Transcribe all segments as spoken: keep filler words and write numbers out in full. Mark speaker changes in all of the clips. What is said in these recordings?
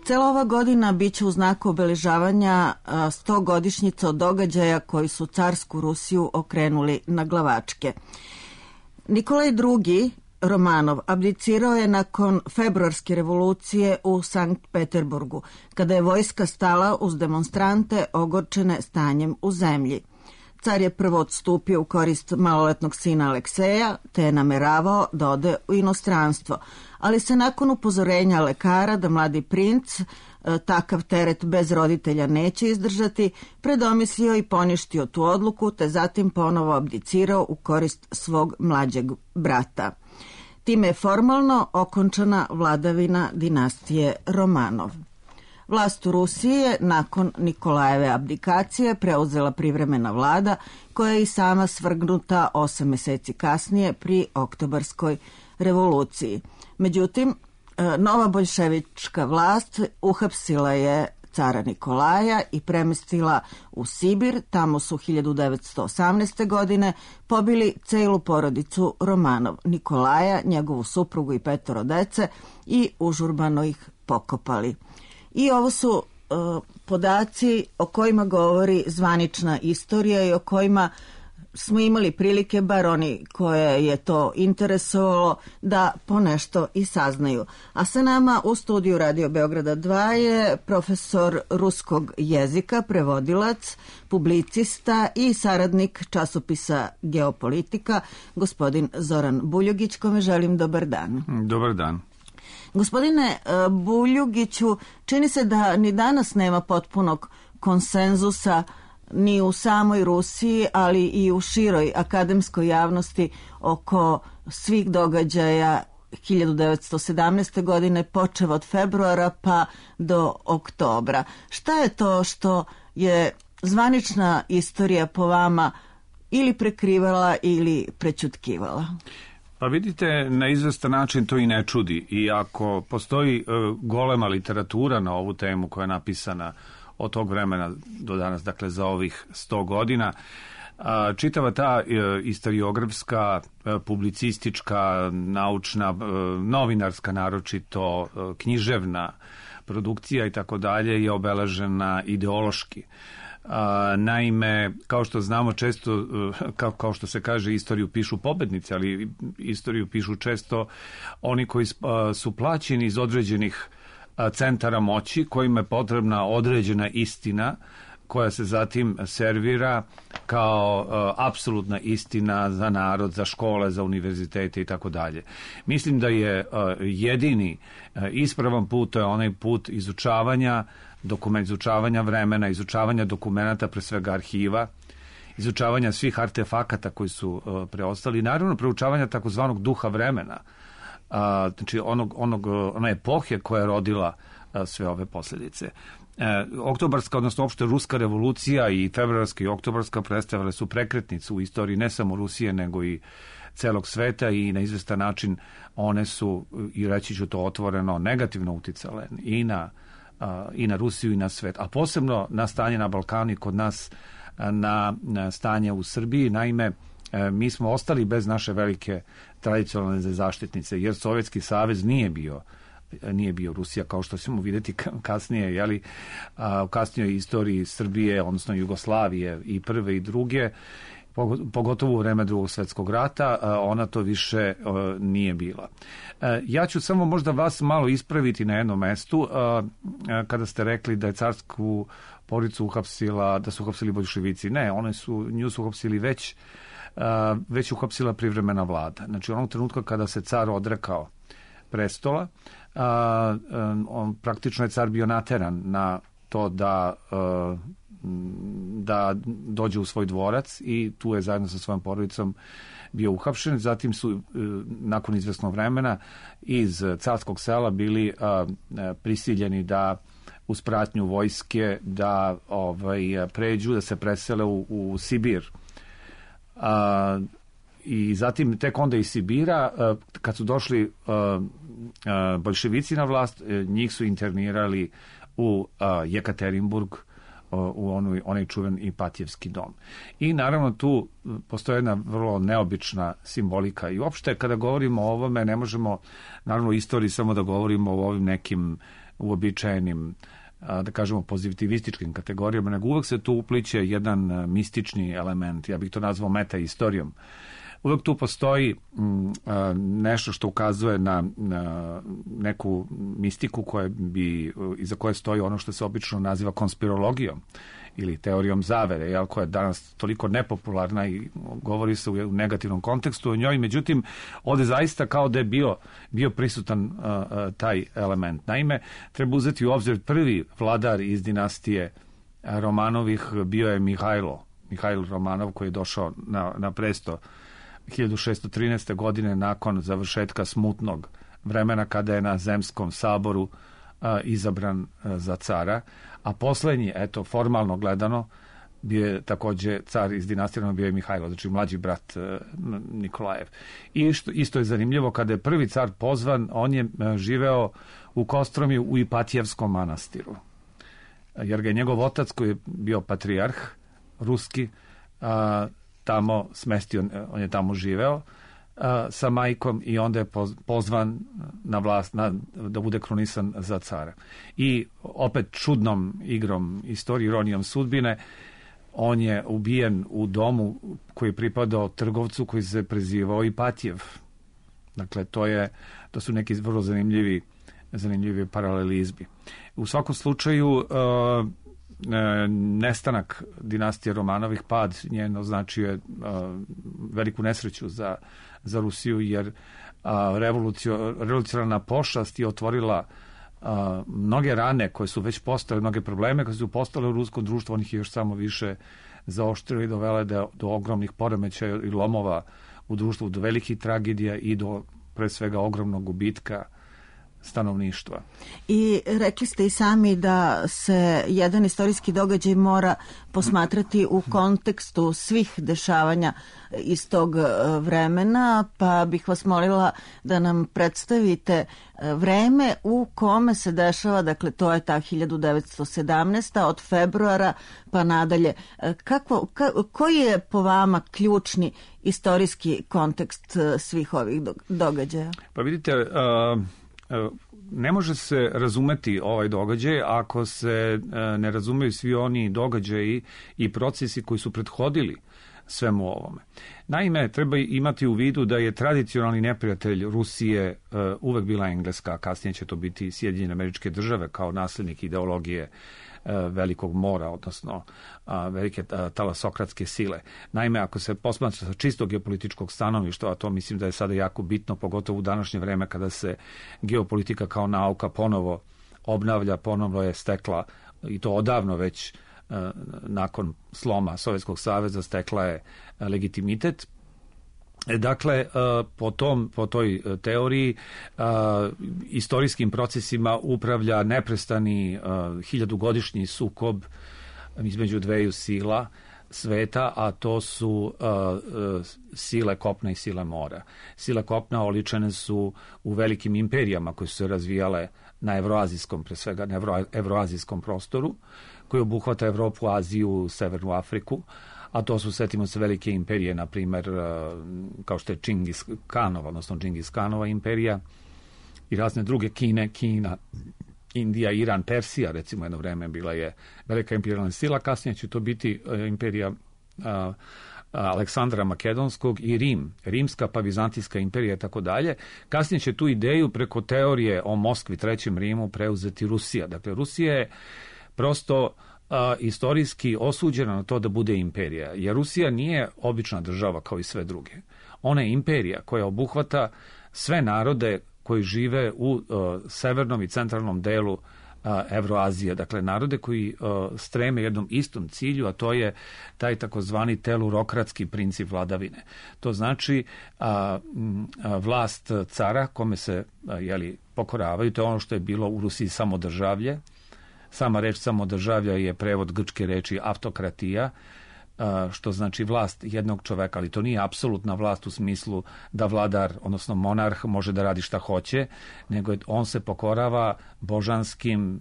Speaker 1: Cela ova godina biće u znaku obeležavanja sto godišnjica od događaja koji su carsku Rusiju okrenuli na glavačke. Nikolaj drugi. Romanov abdicirao je nakon februarske revolucije u Sankt Peterburgu, kada je vojska stala uz demonstrante ogorčene stanjem u zemlji. Car je prvo odstupio u korist maloletnog sina Alekseja, te je nameravao da ode u inostranstvo, ali se nakon upozorenja lekara da mladi princ takav teret bez roditelja neće izdržati, predomislio i poništio tu odluku, te zatim ponovo abdicirao u korist svog mlađeg brata. Time je formalno okončana vladavina dinastije Romanov. Vlast u Rusiji je nakon Nikolajeve abdikacije preuzela privremena vlada, koja je i sama svrgnuta osam meseci kasnije pri Oktobarskoj revoluciji. Međutim, nova boljševička vlast uhapsila je cara Nikolaja i premestila u Sibir. Tamo su hiljadu devetsto osamnaeste. godine pobili celu porodicu Romanov, Nikolaja, njegovu suprugu i petoro dece i užurbano ih pokopali. I ovo su uh, podaci o kojima govori zvanična istorija i o kojima smo imali prilike, bar oni koje je to interesovalo, da ponešto i saznaju. A sa nama u studiju Radio Beograda dva je profesor ruskog jezika, prevodilac, publicista i saradnik časopisa Geopolitika, gospodin Zoran Buljugić, kome želim dobar dan.
Speaker 2: Dobar dan.
Speaker 1: Gospodine Buljugiću, čini se da ni danas nema potpunog konsenzusa ni u samoj Rusiji, ali i u široj akademskoj javnosti oko svih događaja hiljadu devetsto sedamnaeste. godine, počev od februara pa do oktobra. Šta je to što je zvanična istorija po vama ili prekrivala ili prećutkivala?
Speaker 2: Pa vidite, na izvestan način to i ne čudi. I ako postoji uh, golema literatura na ovu temu koja je napisana od tog vremena do danas, dakle za ovih sto godina, uh, čitava ta uh, istoriografska, uh, publicistička, naučna, uh, novinarska naročito, uh, književna produkcija i tako dalje je obeležena ideološki. Uh, naime, kao što znamo često, uh, kao, kao što se kaže, istoriju pišu pobednici, ali istoriju pišu često oni koji uh, su plaćeni iz određenih uh, centara moći, kojima je potrebna određena istina koja se zatim servira kao uh, apsolutna istina za narod, za škole, za univerzitete i tako dalje. Mislim da je uh, jedini uh, ispravan put, to je onaj put izučavanja dokument, izučavanja vremena, izučavanja dokumenata, pre svega arhiva, izučavanja svih artefakata koji su uh, preostali, naravno proučavanja takozvanog duha vremena, uh, znači onog, onog, ona epohe koja je rodila uh, sve ove posljedice. Uh, oktobarska, odnosno opšte ruska revolucija i februarska i oktobarska predstavile su prekretnicu u istoriji ne samo Rusije, nego i celog sveta i na izvestan način one su, i reći ću to otvoreno, negativno uticale i na i na Rusiju i na svet, a posebno na stanje na Balkanu i kod nas na, na stanje u Srbiji. Naime, mi smo ostali bez naše velike tradicionalne zaštitnice, jer Sovjetski savez nije bio nije bio Rusija, kao što ćemo vidjeti kasnije, jeli, u kasnijoj istoriji Srbije, odnosno Jugoslavije i prve i druge, pogotovo u vreme Drugog svjetskog rata, ona to više nije bila. Ja ću samo možda vas malo ispraviti na jednom mestu, kada ste rekli da je carsku porodicu uhapsila, da su uhapsili boljševici. Ne, one su, nju su uhapsili već, već uhapsila privremena vlada. Znači, onog trenutka kada se car odrekao prestola, on, praktično je car bio nateran na to da da dođe u svoj dvorac i tu je zajedno sa svojom porodicom bio uhapšen. Zatim su nakon izvesnog vremena iz carskog sela bili prisiljeni da uz pratnju vojske da ovaj, pređu, da se presele u, u Sibir. A, i zatim tek onda iz Sibira, kad su došli boljševici na vlast, njih su internirali u Jekaterinburg, u onoj, onaj čuven Ipatijevski dom. I naravno tu postoji jedna vrlo neobična simbolika i uopšte kada govorimo o ovome ne možemo naravno u istoriji samo da govorimo o ovim nekim uobičajenim, da kažemo, pozitivističkim kategorijama, nego uvek se tu upliče jedan mistični element, ja bih to nazvao meta-istorijom. Uvek tu postoji m, a, nešto što ukazuje na, na neku mistiku koja bi, iza koje stoji ono što se obično naziva konspirologijom ili teorijom zavere, jel, koja je danas toliko nepopularna i govori se u negativnom kontekstu o njoj, međutim, ovde zaista kao da je bio, bio prisutan a, a, taj element. Naime, treba uzeti u obzir prvi vladar iz dinastije Romanovih bio je Mihajlo, Mihajlo Romanov, koji je došao na, na presto hiljadu šeststo trinaeste. godine nakon završetka smutnog vremena kada je na Zemskom saboru a, izabran a, za cara, a poslednji, eto, formalno gledano, bio je takođe car iz dinastije, bio je Mihajlo, znači mlađi brat a, Nikolajev. I što, isto je zanimljivo, kada je prvi car pozvan, on je a, živeo u Kostromiju u Ipatijevskom manastiru, jer ga je njegov otac, koji je bio patrijarh ruski, a, tamo smestio, on je tamo živeo a, sa majkom i onda je pozvan na vlast na, da bude krunisan za cara. I opet čudnom igrom istorije, ironijom sudbine, on je ubijen u domu koji je pripadao trgovcu koji se prezivao Ipatijev. Dakle, to, je, to su neki vrlo zanimljivi, zanimljivi paralelizmi. U svakom slučaju, a, nestanak dinastije Romanovih, pad njen označio je uh, veliku nesreću za, za Rusiju, jer uh, revolucionarna pošast je otvorila uh, mnoge rane koje su već postale, mnoge probleme koje su postale u ruskom društvu, onih je još samo više zaoštrili i dovele do, do ogromnih poremećaja i lomova u društvu, do velikih tragedija i do, pre svega, ogromnog gubitka stanovništva.
Speaker 1: I rekli ste i sami da se jedan istorijski događaj mora posmatrati u kontekstu svih dešavanja iz tog vremena, pa bih vas molila da nam predstavite vreme u kome se dešava, dakle to je ta hiljadu devetsto sedamnaesta. od februara pa nadalje. Kako, ka, koji je po vama ključni istorijski kontekst svih ovih događaja?
Speaker 2: Pa vidite, uh... ne može se razumeti ovaj događaj ako se ne razumeju svi oni događaji i procesi koji su prethodili svemu ovome. Naime, treba imati u vidu da je tradicionalni neprijatelj Rusije uvek bila Engleska, a kasnije će to biti Sjedinjene Američke Države kao naslednik ideologije velikog mora, odnosno velike talasokratske sile. Naime, ako se posmatra sa čistog geopolitičkog stanovišta, a to mislim da je sada jako bitno, pogotovo u današnje vreme kada se geopolitika kao nauka ponovo obnavlja, ponovo je stekla, i to odavno već nakon sloma Sovjetskog saveza, stekla je legitimitet. Dakle, po, tom, po toj teoriji istorijskim procesima upravlja neprestani hiljadugodišnji sukob između dveju sila sveta, a to su sile kopna i sile mora. Sile kopna oličene su u velikim imperijama koje su se razvijale na evroazijskom, pre svega na evro, evroazijskom prostoru, koji obuhvata Evropu, Aziju, Severnu Afriku, a to su, setimo se, velike imperije, na primer, kao što je Čingis Kanova, odnosno Džingis Kanova imperija i razne druge, Kine, Kina, Indija, Iran, Persija, recimo, jedno vreme bila je velika imperijalna sila, kasnije će to biti imperija a, Aleksandra Makedonskog i Rim, Rimska pa Vizantijska imperija i tako dalje. Kasnije će tu ideju preko teorije o Moskvi, Trećem Rimu, preuzeti Rusija. Dakle, Rusija je prosto a, istorijski osuđena na to da bude imperija, jer Rusija nije obična država kao i sve druge. Ona je imperija koja obuhvata sve narode koji žive u uh, severnom i centralnom delu uh, Evroazije, dakle narode koji uh, streme jednom istom cilju, a to je taj takozvani telurokratski princip vladavine. To znači uh, uh, vlast cara kome se uh, jeli, pokoravaju, to je ono što je bilo u Rusiji samodržavlje. Sama reč samodržavlja je prevod grčke reči autokratija, što znači vlast jednog čoveka, ali to nije apsolutna vlast u smislu da vladar, odnosno monarh, može da radi šta hoće, nego on se pokorava božanskim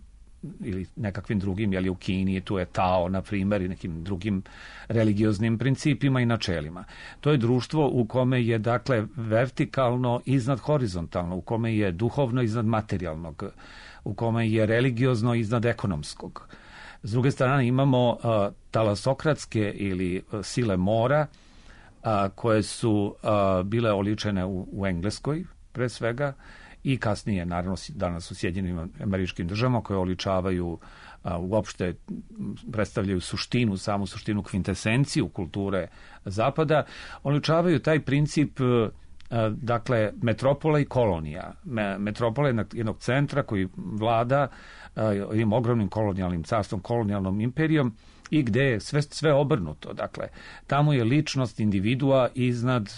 Speaker 2: ili nekakvim drugim, jeli u Kini, tu je Tao, na primjer, i nekim drugim religioznim principima i načelima. To je društvo u kome je, dakle, vertikalno iznad horizontalno, u kome je duhovno iznad materijalnog, u kome je religiozno iznad ekonomskog. S druge strane imamo uh, talasokratske ili uh, sile mora, uh, koje su uh, bile oličene u, u Engleskoj, pre svega, i kasnije, naravno, danas u Sjedinjenim Američkim Državama, koje oličavaju, a, uopšte predstavljaju suštinu, samu suštinu, kvintesenciju kulture Zapada, oličavaju taj princip, a, dakle, metropola i kolonija. Me, metropola je jednog centra koji vlada a, jednim ogromnim kolonijalnim carstvom, kolonijalnom imperijom, i gde je sve, sve obrnuto. Dakle, tamo je ličnost individua iznad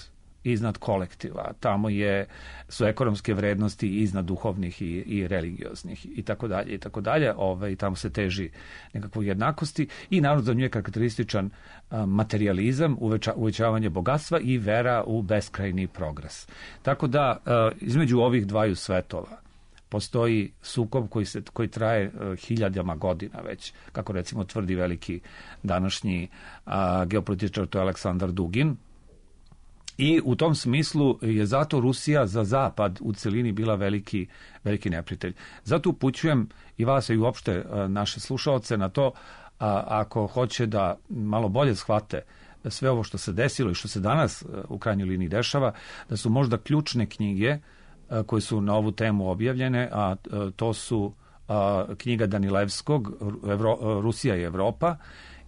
Speaker 2: iznad kolektiva, tamo je, su ekonomske vrednosti iznad duhovnih i, i religioznih i tako dalje i tako dalje, ovaj, tamo se teži nekakvoj jednakosti i naravno za nju je karakterističan a, materializam, uveća, uvećavanje bogatstva i vera u beskrajni progres. Tako da a, između ovih dvaju svetova postoji sukob koji, se, koji traje a, hiljadama godina već, kako recimo tvrdi veliki današnji a, geopolitičar, to je Aleksandar Dugin. I u tom smislu je zato Rusija za Zapad u celini bila veliki, veliki neprijatelj. Zato upućujem i vas i uopšte naše slušaoce na to, a, ako hoće da malo bolje shvate sve ovo što se desilo i što se danas u krajnjoj liniji dešava, da su možda ključne knjige a, koje su na ovu temu objavljene, a, a to su a, knjiga Danilevskog Evro, a, Rusija i Evropa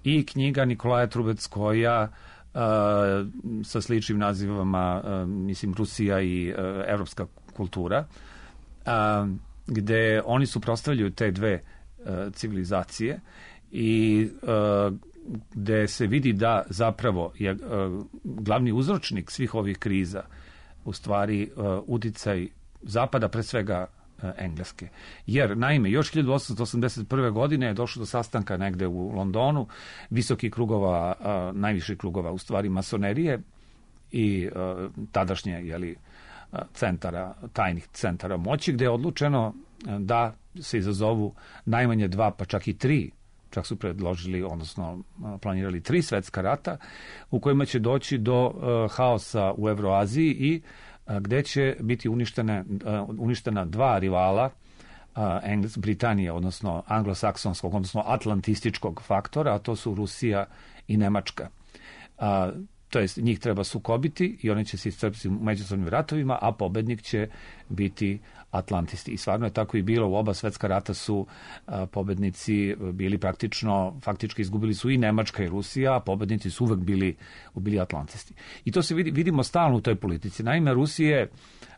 Speaker 2: i knjiga Nikolaja Trubetskoja Uh, sa sličnim nazivama, uh, mislim, Rusija i uh, evropska kultura, uh, gde oni suprotstavljaju te dve uh, civilizacije i uh, gde se vidi da zapravo je uh, glavni uzročnik svih ovih kriza u stvari uh, uticaj Zapada, pre svega Engleske. Jer, naime, još hiljadu osamsto osamdeset prve. godine je došlo do sastanka negde u Londonu, visokih krugova, a, najviših krugova, u stvari masonerije i a, tadašnje, jeli, centara, tajnih centara moći, gde je odlučeno da se izazovu najmanje dva, pa čak i tri, čak su predložili, odnosno planirali tri svetska rata, u kojima će doći do uh, haosa u Evroaziji i gde će biti uništene, uništena dva rivala Engles, Britanije, odnosno anglosaksonskog, odnosno atlantističkog faktora, a to su Rusija i Nemačka. A, to jest, njih treba sukobiti i oni će se iscrpiti u međusobnim ratovima, a pobednik će biti Atlantisti. I stvarno je tako i bilo. U oba svetska rata su a, pobednici bili praktično, faktički izgubili su i Nemačka i Rusija, a pobednici su uvek bili, bili Atlantisti. I to se vidi, vidimo stalno u toj politici. Naime, Rusija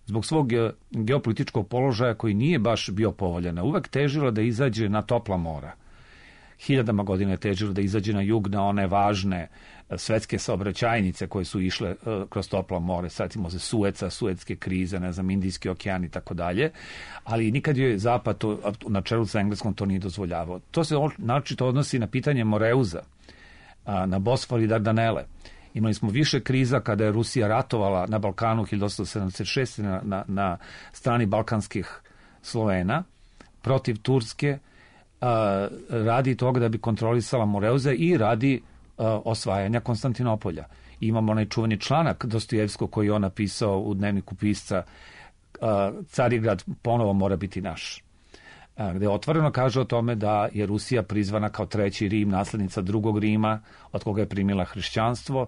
Speaker 2: zbog svog geopolitičkog položaja koji nije baš bio povoljan, uvek težila da izađe na topla mora. Hiljadama godina je težilo da izađe na jug, na one važne svetske saobraćajnice koje su išle uh, kroz toplo more, satimo se Sueca, Suetske krize, ne znam, Indijski okean i tako dalje, ali nikad je Zapad to, na čelu sa Engleskom to nije dozvoljavao. To se naročito odnosi na pitanje Moreuza, a, na Bosfor i Dardanele. Imali smo više kriza kada je Rusija ratovala na Balkanu hiljadu osamsto sedamdeset šeste. na, na, na strani balkanskih Slovena protiv Turske, a, radi toga da bi kontrolisala Moreuze i radi a, osvajanja Konstantinopolja. I imamo onaj čuveni članak Dostojevskog koji je on napisao u dnevniku pisca, a, Carigrad ponovo mora biti naš, a, gde otvoreno kaže o tome da je Rusija prizvana kao treći Rim, naslednica drugog Rima, od koga je primila hrišćanstvo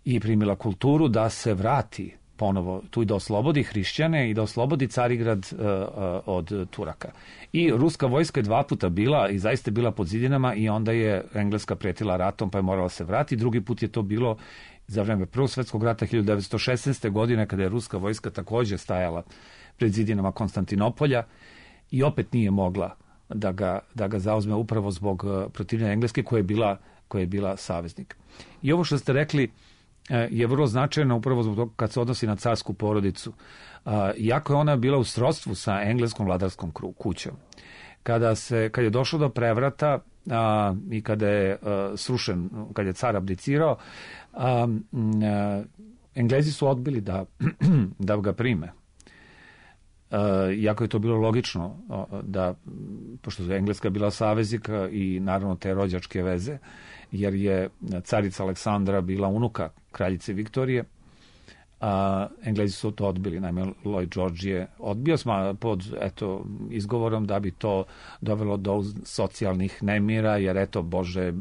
Speaker 2: i primila kulturu, da se vrati ponovo tu i da oslobodi hrišćane i da oslobodi Carigrad uh, uh, od Turaka. I ruska vojska je dva puta bila i zaista bila pod zidinama i onda je Engleska pretila ratom pa je morala se vratiti. Drugi put je to bilo za vreme Prvog svetskog rata hiljadu devetsto šesnaeste. godine kada je ruska vojska takođe stajala pred zidinama Konstantinopolja i opet nije mogla da ga, da ga zauzme upravo zbog uh, protivljenja Engleske koja je bila, koja je bila saveznik. I ovo što ste rekli je vrlo značajno upravo zbog toga kad se odnosi na carsku porodicu. Iako je ona bila u srodstvu sa engleskom vladarskom kućom. Kada, se, kad je došlo do prevrata a, i kada je a, srušen, kada je car abdicirao, a, a, Englezi su odbili da, da ga prime. iako je to bilo logično da, pošto je Engleska bila saveznika i naravno te rođačke veze, jer je carica Aleksandra bila unuka kraljice Viktorije, a Englezi su to odbili. Naime, Lloyd George je odbio sma pod eto, izgovorom da bi to dovelo do socijalnih nemira, jer eto, Bože,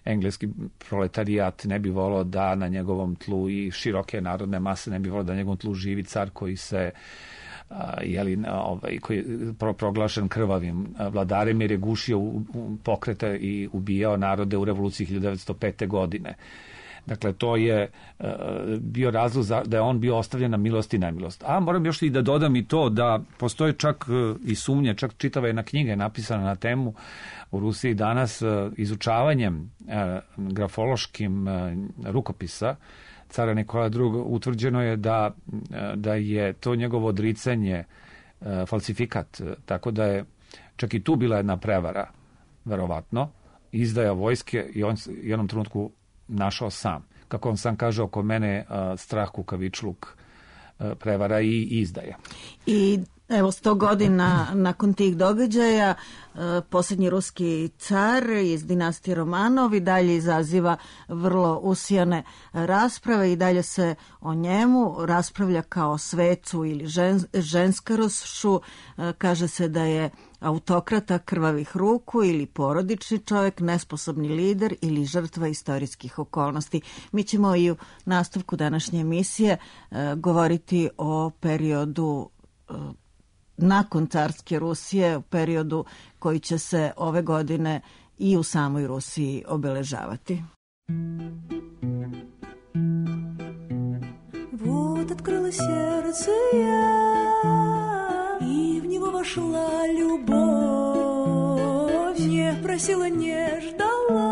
Speaker 2: engleski proletarijat ne bi volao da na njegovom tlu i široke narodne mase ne bi volao da na njegovom tlu živi car koji se a, jeli, ovaj, koji je pro, proglašen krvavim vladarem jer je gušio u, u pokrete i ubijao narode u revoluciji hiljadu devetsto pete. godine. Dakle, to je uh, bio razlog za, da je on bio ostavljen na milost i nemilost. A moram još i da dodam i to da postoje čak uh, i sumnje, čak čitava jedna knjiga je napisana na temu u Rusiji danas uh, izučavanjem uh, grafološkim uh, rukopisa cara Nikola drugog. Utvrđeno je da, uh, da je to njegovo odricanje uh, falsifikat, uh, tako da je čak i tu bila jedna prevara, verovatno, izdaja vojske i on u jednom trenutku našao sam. Kako on sam kaže, oko mene uh, strah, kukavičluk, uh, prevara i izdaja.
Speaker 1: I evo sto godina nakon tih događaja uh, posljednji ruski car iz dinastije Romanov i dalje izaziva vrlo usijane rasprave i dalje se o njemu raspravlja kao svecu ili žen, ženskarošu. Uh, kaže se da je autokrata krvavih ruku ili porodični čovjek, nesposobni lider ili žrtva istorijskih okolnosti. Mi ćemo i u nastavku današnje emisije uh, govoriti o periodu uh, nakon carske Rusije, u periodu koji će se ove godine i u samoj Rusiji obeležavati.
Speaker 3: Вот открыла сердце я, и в него вошла любовь. Не просила, не ждала,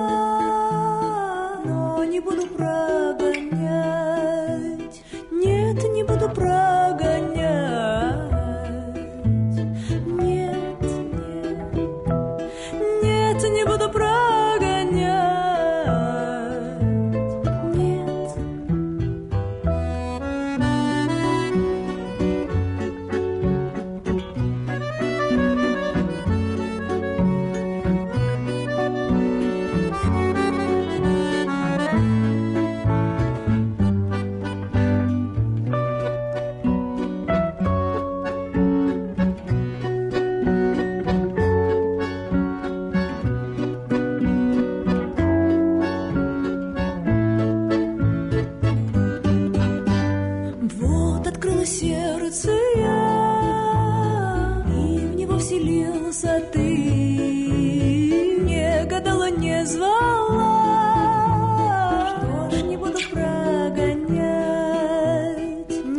Speaker 3: но не буду прогонять. Нет, не буду прогонять. Нет, нет, нет, не буду прогонять. Нет. Сердце я, и в него вселился ты. Не гадала, не звала, что ж, не буду прогонять.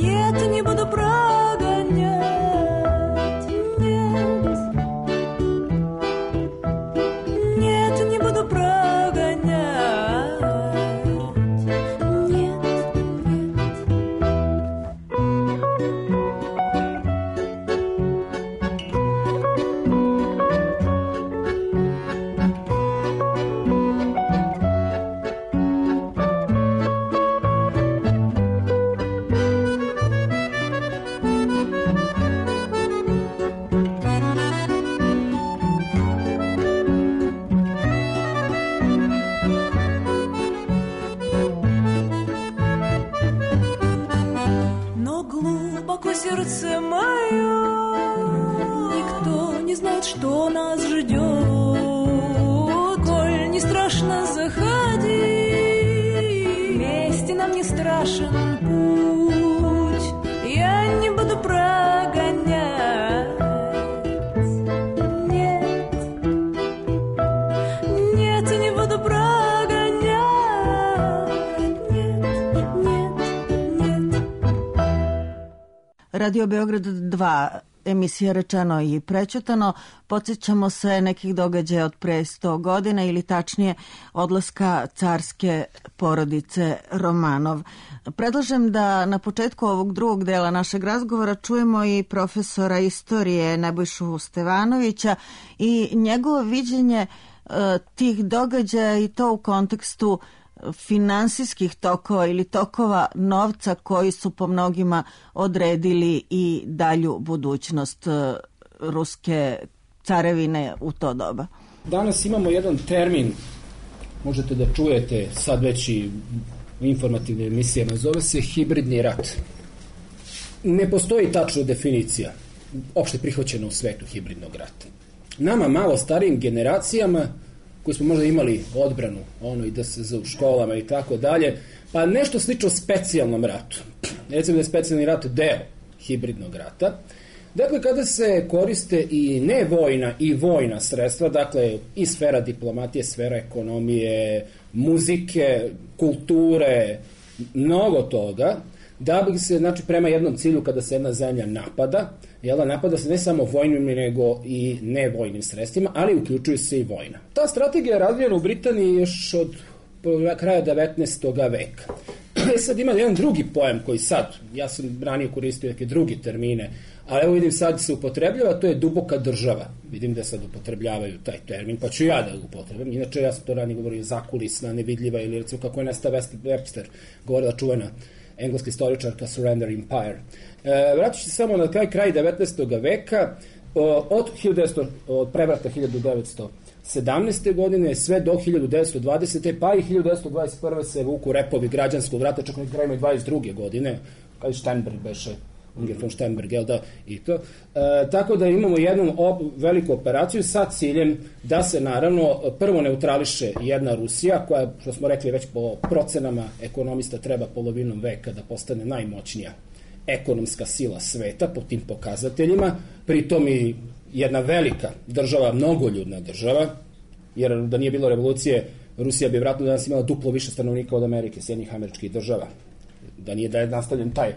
Speaker 3: Нет, не буду прогонять. Нет, нет, не буду прогонять. Нет, нет. Сердце мое, никто не знает, что нас ждет. Коль не страшно, заходи, вместе нам не страшен путь. Я не буду прогонять. Нет, нет, не буду прогонять. Нет, нет, нет.
Speaker 1: Radio Beograd dva, emisija Rečeno i prećutano. Podsjećamo se nekih događaja od pre sto godina ili tačnije odlaska carske porodice Romanov. Predlažem da na početku ovog drugog dela našeg razgovora čujemo i profesora istorije Nebojšu Stevanovića i njegovo viđenje uh, tih događaja i to u kontekstu uh, finansijskih tokova ili tokova novca koji su po mnogima odredili i dalju budućnost ruske carevine u to doba.
Speaker 4: Danas imamo jedan termin, možete da čujete sad već i u informativnim emisijama, zove se hibridni rat. Ne postoji tačna definicija opšte prihvaćena u svetu hibridnog rata. Nama malo starijim generacijama koji smo možda imali odbranu, ono i da se za u školama i tako dalje, pa nešto slično specijalnom ratu. Recimo da je specijalni rat deo hibridnog rata. Dakle, kada se koriste i nevojna i vojna sredstva, dakle, i sfera diplomatije, sfera ekonomije, muzike, kulture, mnogo toga, da bi se, znači, prema jednom cilju kada se jedna zemlja napada, jel, napada se ne samo vojnim, nego i nevojnim sredstvima, ali uključuje se i vojna. Ta strategija je razvijena u Britaniji još od kraja devetnaestog veka. E sad ima jedan drugi pojam koji sad, ja sam ranije koristio neke drugi termine, ali evo vidim sad se upotrebljava, to je duboka država. Vidim da sad upotrebljavaju taj termin, pa ću ja da ga upotrebim. Inače, ja sam to ranije govorio zakulisna, nevidljiva, ili recimo kako je Nesta Webster govorila čuvena engleska istoričarka Surrender Empire. E, vratit ću se samo na kraj, kraj devetnaestog veka, od, hiljadu devetsto, od prevrata hiljadu devetsto sedamnaeste. godine sve do hiljadu devetsto dvadesete. pa i hiljadu devetsto dvadeset prve se vuku repovi građanskog rata, čak na kraju dvadeset druge. godine, kada je Steinberg beše, Unger von Steinberg, jel da, i to. E, tako da imamo jednu op, veliku operaciju sa ciljem da se naravno prvo neutrališe jedna Rusija, koja, što smo rekli već po procenama ekonomista, treba polovinom veka da postane najmoćnija ekonomska sila sveta po tim pokazateljima, pritom i jedna velika država, mnogoljudna država, jer da nije bilo revolucije, Rusija bi vratno danas imala duplo više stanovnika od Amerike, Sjedinjenih Američkih država. Da nije da je nastavljen taj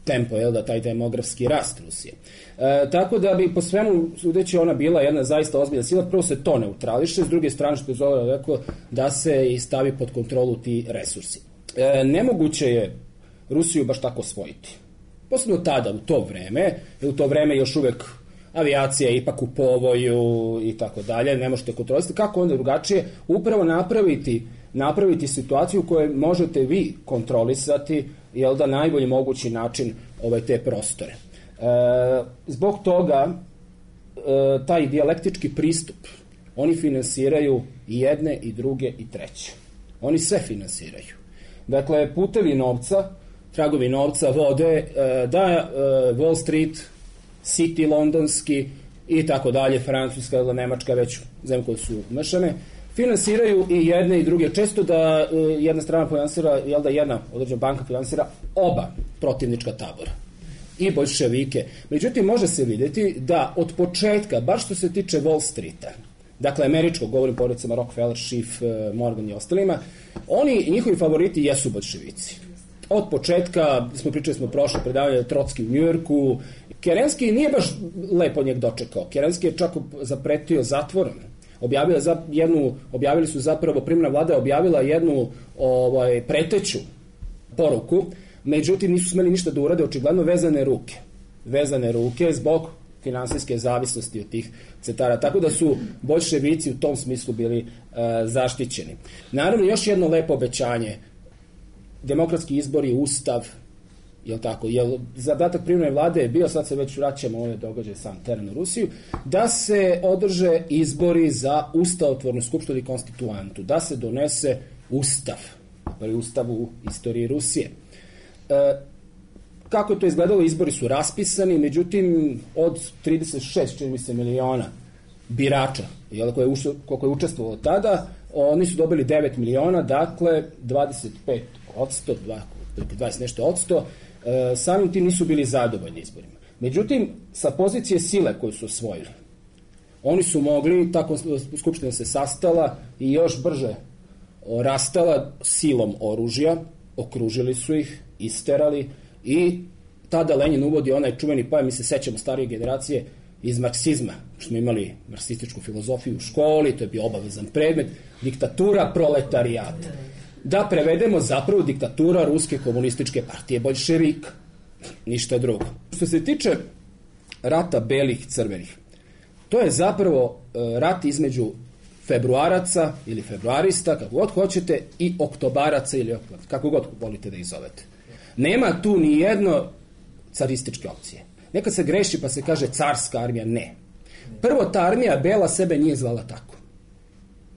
Speaker 4: tempo, jel da, taj demografski rast Rusije. E, tako da bi po svemu sudeći ona bila jedna zaista ozbiljna sila, prvo se to neutrališe, s druge strane što je Zola rekao da se i stavi pod kontrolu ti resursi. E, nemoguće je Rusiju baš tako osvojiti. Posebno tada, u to vreme, jer u to vreme još uvek avijacija je ipak u povoju i tako dalje, ne možete kontrolisati. Kako onda drugačije? Upravo napraviti, napraviti situaciju u kojoj možete vi kontrolisati, jel da, najbolji mogući način ovaj, te prostore. E, zbog toga e, taj dijalektički pristup oni finansiraju i jedne i druge i treće. Oni sve finansiraju. Dakle, putevi novca, tragovi novca vode e, da e, Wall Street, City londonski i tako dalje, Francuska ili Nemačka, već zemlje koje su umešane, finansiraju i jedne i druge. Često da uh, jedna strana finansira, jel da jedna određena banka finansira oba protivnička tabora i boljševike. Međutim, može se vidjeti da od početka, bar što se tiče Wall Streeta, dakle američkog, govorim porodicama Rockefeller, Schiff, Morgan i ostalima, oni, njihovi favoriti jesu boljševici. Od početka, smo pričali smo prošle predavanje Trotski u Njujorku, Kerenski nije baš lepo njeg dočekao. Kerenski je čak zapretio zatvorom. Objavila za jednu, objavili su zapravo, primna vlada je objavila jednu ovaj, preteću poruku, međutim nisu smeli ništa da urade, očigledno vezane ruke. Vezane ruke zbog finansijske zavisnosti od tih centara. Tako da su boljševici u tom smislu bili uh, zaštićeni. Naravno, još jedno lepo obećanje. Demokratski izbori, ustav, jel tako, jel zadatak privremene vlade je bio, sad se već vraćamo ove događaje sam teren u Rusiju, da se održe izbori za ustavotvornu skupštinu i konstituantu, da se donese ustav, prvi ustav u istoriji Rusije. E, kako je to izgledalo? Izbori su raspisani, međutim od trideset šest, čini mi se, miliona birača, jel, koje je, ušlo, koliko je učestvovalo tada, oni su dobili devet miliona, dakle dvadeset pet odsto, dvadeset nešto odsto, e, samim tim nisu bili zadovoljni izborima. Međutim, sa pozicije sile koju su osvojili, oni su mogli, tako skupština se sastala i još brže rastala silom oružja, okružili su ih, isterali i tada Lenin uvodi onaj čuveni pojam, mi se sećamo starije generacije, iz marksizma, što smo imali marksističku filozofiju u školi, to je bio obavezan predmet, diktatura proletarijata. Da prevedemo zapravo diktatura Ruske komunističke partije boljševika. Ništa drugo. Što se tiče rata belih crvenih, to je zapravo rat između februaraca ili februarista, kako god hoćete, i oktobaraca ili kako god volite da ih zovete. Nema tu ni jedno carističke opcije. Nekad se greši pa se kaže carska armija, ne. Prvo, ta armija bela sebe nije zvala tako.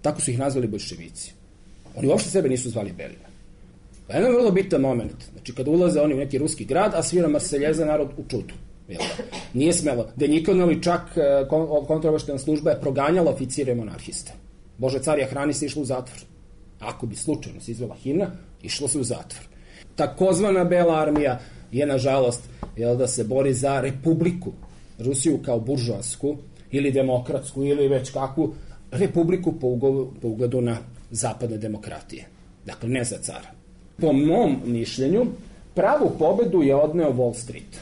Speaker 4: Tako su ih nazvali boljševici. Oni uopšte sebe nisu zvali belima. Pa jedan vrlo bitan moment. Znači, kada ulaze oni u neki ruski grad, a svira Marseljeza, narod u čudu. Nije smelo. Denjikonovi čak kontraobaveštajna služba je proganjala oficire monarhiste. Bože carija hrani se išlo u zatvor. Ako bi slučajno se izvela himna, išlo se u zatvor. Takozvana bela armija je, nažalost, jel, da se bori za republiku. Rusiju kao buržoasku ili demokratsku ili već kakvu republiku po, ugovu, po ugledu na zapadne demokratije. Dakle, ne za cara. Po mom mišljenju, pravu pobedu je odneo Wall Street.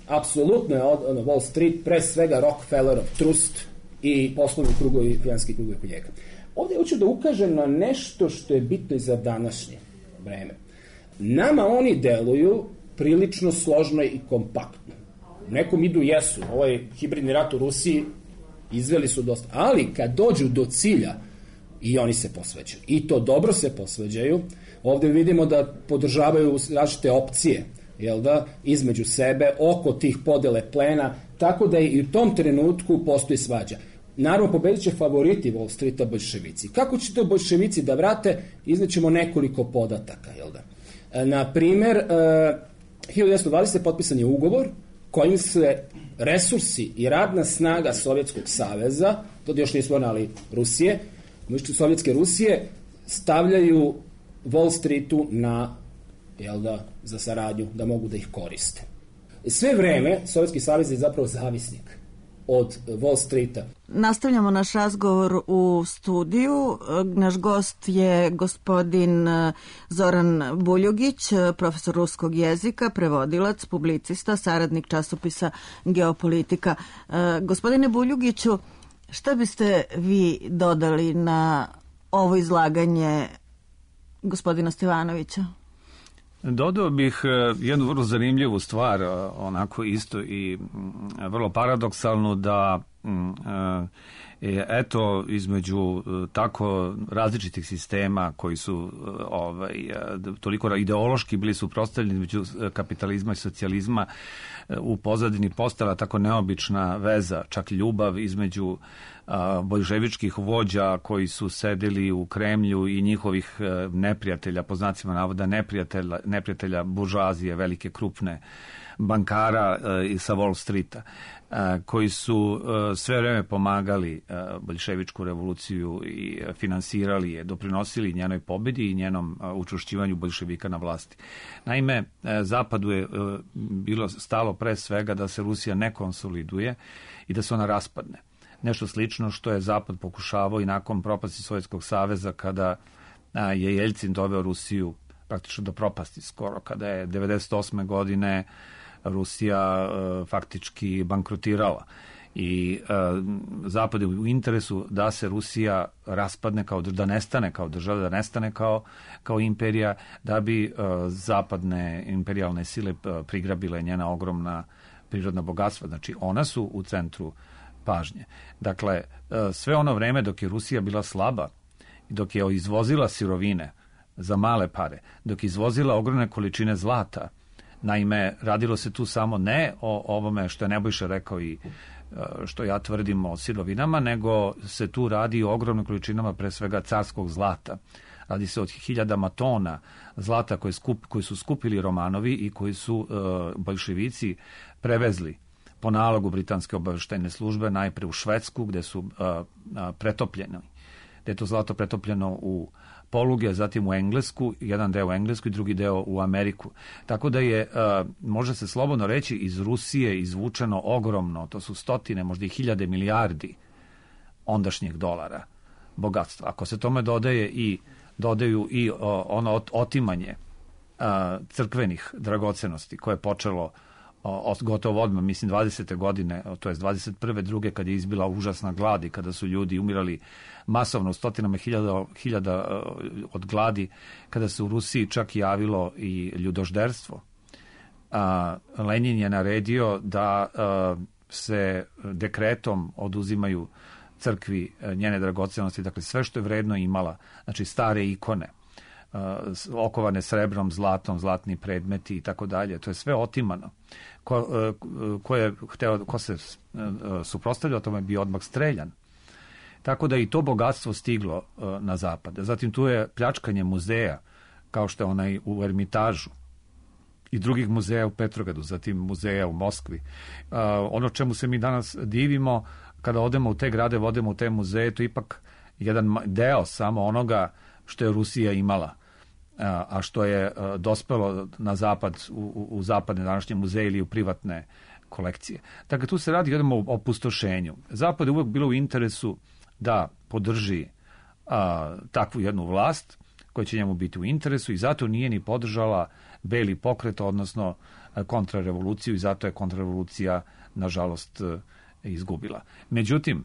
Speaker 4: Apsolutno je odneo Wall Street, pre svega Rockefellerov trust i poslovni krugovi, finanski krugovi kod njega. Ovdje hoću da ukažem na nešto što je bitno i za današnje vreme. Nama oni deluju prilično složno i kompaktno. Nekom idu jesu, ovaj hibridni rat u Rusiji izveli su dosta, ali kad dođu do cilja i oni se posveđaju. I to dobro se posveđaju. Ovdje vidimo da podržavaju različite opcije, jel da, između sebe, oko tih podele plena, tako da i u tom trenutku postoji svađa. Naravno, pobedit će favoriti Wall Streeta, boljševici. Kako će to boljševici da vrate, iznećemo nekoliko podataka, jel da. Na primer, hiljadu devetsto dvadesete. potpisan je ugovor kojim se resursi i radna snaga Sovjetskog saveza, to još nismo ali Rusije, Sovjetske Rusije, stavljaju Wall Streetu na, jel da, za saradnju, da mogu da ih koriste. Sve vreme Sovjetski savez je zapravo zavisnik od Wall Streeta.
Speaker 1: Nastavljamo naš razgovor u studiju. Naš gost je gospodin Zoran Buljugić, profesor ruskog jezika, prevodilac, publicista, saradnik časopisa Geopolitika. Gospodine Buljugiću, šta biste vi dodali na ovo izlaganje gospodina Stevanovića?
Speaker 2: Dodao bih jednu vrlo zanimljivu stvar, onako isto i vrlo paradoksalnu, da eto, između tako različitih sistema koji su ovaj, toliko ideološki bili suprotstavljeni između kapitalizma i socijalizma, u pozadini postala tako neobična veza, čak ljubav između boljševičkih vođa koji su sedeli u Kremlju i njihovih neprijatelja, po znacima navoda neprijatelja, neprijatelja buržoazije, velike krupne bankara sa Wall Streeta, koji su sve vreme pomagali boljševičku revoluciju i finansirali je, doprinosili njenoj pobedi i njenom učvršćivanju boljševika na vlasti. Naime, Zapadu je bilo stalo pre svega da se Rusija ne konsoliduje i da se ona raspadne. Nešto slično što je Zapad pokušavao i nakon propasti Sovjetskog saveza, kada je Jeljcin doveo Rusiju praktično do propasti skoro, kada je devedeset osme godine Rusija uh, faktički bankrotirala i uh, Zapad je u interesu da se Rusija raspadne, kao da nestane kao država, da nestane kao, kao imperija, da bi uh, zapadne imperijalne sile uh, prigrabile njena ogromna prirodna bogatstva. Znači, ona su u centru pažnje. Dakle, uh, sve ono vreme dok je Rusija bila slaba, dok je izvozila sirovine za male pare, dok je izvozila ogromne količine zlata. Naime, radilo se tu samo ne o ovome što je Nebojša rekao i što ja tvrdim o sirovinama, nego se tu radi o ogromnim količinama pre svega carskog zlata. Radi se od hiljadama tona zlata koje, skup, koje su skupili Romanovi i koji su uh, boljševici prevezli po nalogu britanske obaveštajne službe najpre u Švedsku, gde su uh, uh, pretopljeni, gde je to zlato pretopljeno u poluge, zatim u Englesku, jedan deo u Englesku i drugi deo u Ameriku. Tako da je, uh, može se slobodno reći, iz Rusije izvučeno ogromno, to su stotine, možda i hiljade milijardi ondašnjih dolara bogatstva. Ako se tome dodaje i dodaju i uh, ono otimanje uh, crkvenih dragocenosti koje je počelo uh, gotovo odmah, mislim dvadesete godine, to je dvadeset prve druge kad je izbila užasna glad i kada su ljudi umirali masovno, stotinama hiljada, hiljada od gladi, kada se u Rusiji čak javilo i ljudožderstvo. A, Lenin je naredio da a, se dekretom oduzimaju crkvi njene dragocenosti, dakle sve što je vredno imala, znači stare ikone, okovane srebrom, zlatom, zlatni predmeti i tako dalje. To je sve otimano. Ko, ko, je hteo, ko se suprotstavljao tome bio odmah streljan. Tako da i to bogatstvo stiglo na zapad. Zatim tu je pljačkanje muzeja, kao što je onaj u Ermitažu i drugih muzeja u Petrogradu, zatim muzeja u Moskvi. Ono čemu se mi danas divimo, kada odemo u te grade, odemo u te muzeje, to je ipak jedan deo samo onoga što je Rusija imala, a što je dospelo na zapad, u, u zapadne današnje muzeje ili u privatne kolekcije. Dakle, tu se radi jednom o opustošenju. Zapad je uvek bilo u interesu da podrži a, takvu jednu vlast koja će njemu biti u interesu i zato nije ni podržala beli pokret, odnosno kontrarevoluciju i zato je kontrarevolucija, nažalost, izgubila. Međutim,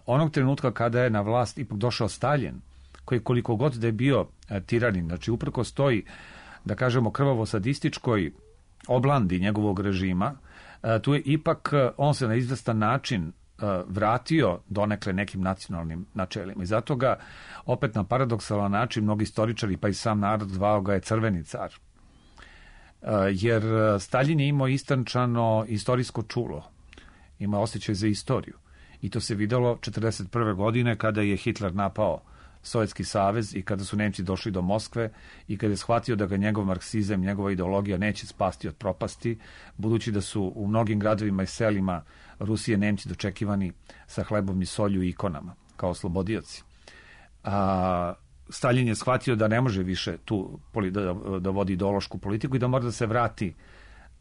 Speaker 2: onog trenutka kada je na vlast ipak došao Staljin, koji koliko god da je bio tiranin, znači uprko stoji, da kažemo, krvavo-sadističkoj oblandi njegovog režima, tu je ipak on se na izvestan način vratio donekle nekim nacionalnim načelima. I zato ga opet na paradoksalan način mnogi istoričari, pa i sam narod zvao ga je crveni car. Jer Staljin je imao istančano istorijsko čulo, ima osjećaj za istoriju. I to se videlo četrdeset prve godine kada je Hitler napao Sovjetski savez i kada su Nemci došli do Moskve i kada je shvatio da ga njegov marksizam, njegova ideologija neće spasti od propasti, budući da su u mnogim gradovima i selima Rusije Nemci dočekivani sa hlebom i solju i ikonama, kao oslobodioci. A Staljin je shvatio da ne može više tu da, da vodi ideološku politiku i da mora da se vrati